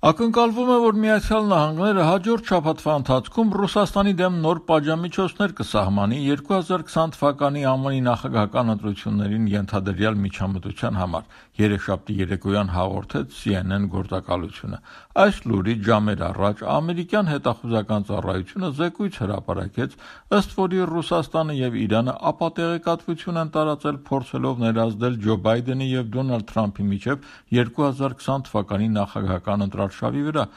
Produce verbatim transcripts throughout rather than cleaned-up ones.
Ակնկալվում է, որ Միացյալ Նահանգները հաջորդ շաբաթվա ընթացքում Ռուսաստանի դեմ նոր պատժամիջոցներ կսահմանի երկու հազար քսան թվականի ԱՄՆ-ի նախագահական ընտրություններին ենթադրյալ միջամտության համար, երեքշաբթի երեկոյան հաղորդեց C N N գործակալությունը։ Այս լուրից ժամեր առաջ ամերիկյան հետախուզական ծառայությունը զեկույց հրապարակեց, ըստ որի Ռուսաստանը եւ Իրանը ապատեղեկատվություն են տարածել, փորձելով ներազդել Ջո Բայդենի եւ Դոնալդ Թրամփի միջև երկու հազար քսան թվականի նախագահական ընտրարշավի վրա։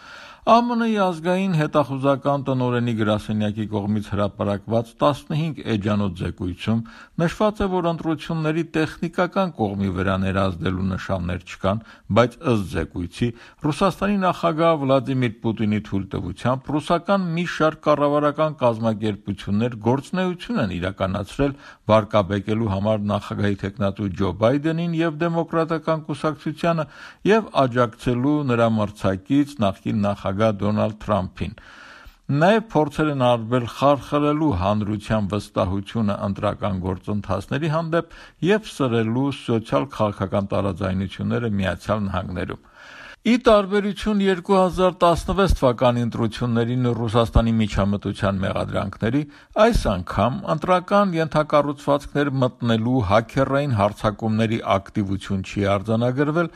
A M N-ի ազգային հետախուզական տնօրենի գրասենյակի կողմից հրապարակված տասնհինգ էջանոց զեկույցում նշված է, որ ընտրությունների տեխնիկական կողմի վրա ներազդելու նշաններ չկան, բայց ըստ զեկույցի Ռուսաստանի նախագահ Վլադիմիր Պուտինի թույլտվությամբ ռուսական մի շարք կառավարական կազմակերպություններ գործունեություն են իրականացրել վարկաբեկելու համար նախագահի թեկնածու Ջո Բայդենին եւ դեմոկրատական կուսակցությանը եւ աջակցելու նրա մրցակից նախկին նախագահ Դոնալդ Թրամփին։ Նաև փորձեր են արվել խարխլելու հանրության վստահությունը ընտրական գործընթացների հանդեպ եւ սրելու սոցիալ-քաղաքական տարաձայնությունները Միացյալ Նահանգներում։ Ի տարբերություն երկու հազար տասնվեց թվականի ընտրություններին Ռուսաստանի միջամտության մեղադրանքների, այս անգամ ընտրական ենթակառուցվածքներ մտնելու հաքերային հարձակումների ակտիվություն չի արձանագրվել,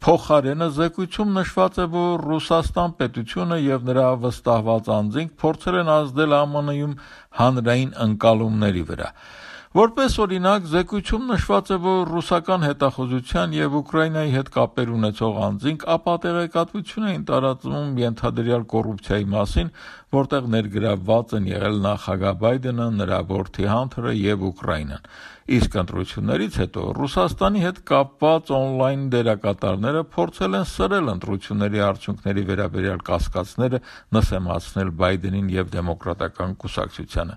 փոխարենը զեկույցում նշված է, որ Ռուսաստան պետությունը եւ նրա վստահված անձինք փորձել են ազդել A M N-ում հանրային ընկալումների վրա։ Որպես օրինակ, զեկույցում նշված է, որ ռուսական հետախուզության եւ Ուկրաինայի հետ կապեր ունեցող անձինք ապատեղեկատվություն էին տարածում ենթադրյալ կոռուպցիայի մասին, որտեղ ներգրավված են եղել նախագահ Բայդենը, նրա որդի Հանթերը եւ Ուկրաինան։ Իսկ ընտրություններից հետո Ռուսաստանի հետ կապված օնլայն դերակատարները փորձել են սրել ընտրությունների արդյունքների վերաբերյալ կասկածները, նսեմացնել Բայդենին եւ դեմոկրատական կուսակցությանը։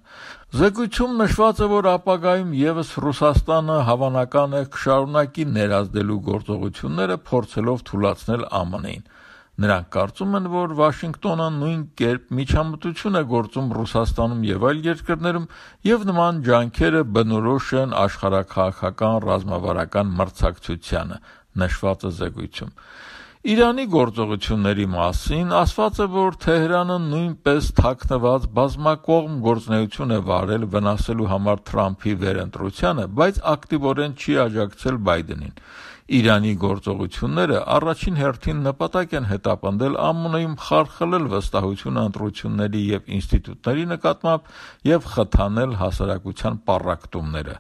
Զեկույցում նշված է, որ ապագայում եւս Ռուսաստանը հավանական է կշարունակի ներազդելու գործողությունները, փորձելով թուլացնել A M N-ին։ Նրանք կարծում են, որ Վաշինգտոնը նույն կերպ միջամտություն է գործում Ռուսաստանում եւ այլ երկրներում եւ նման ջանքերը բնորոշ են աշխարհաքաղաքական ռազմավարական մրցակցությանը, նշված է զեկույցում։ Իրանի գործողությունների մասին ասված է, որ Թեհրանը նույնպես թաքնված բազմակողմ գործունեություն է վարել վնասելու համար Թրամփի վերընտրությանը, բայց ակտիվորեն չի աջակցել Բայդենին։ Իրանի գործողությունները առաջին հերթին նպատակ են հետապնդել A M N-ում խարխլել վստահությունը ընտրությունների եւ ինստիտուտների նկատմամբ եւ խթանել հասարակության պառակտումները։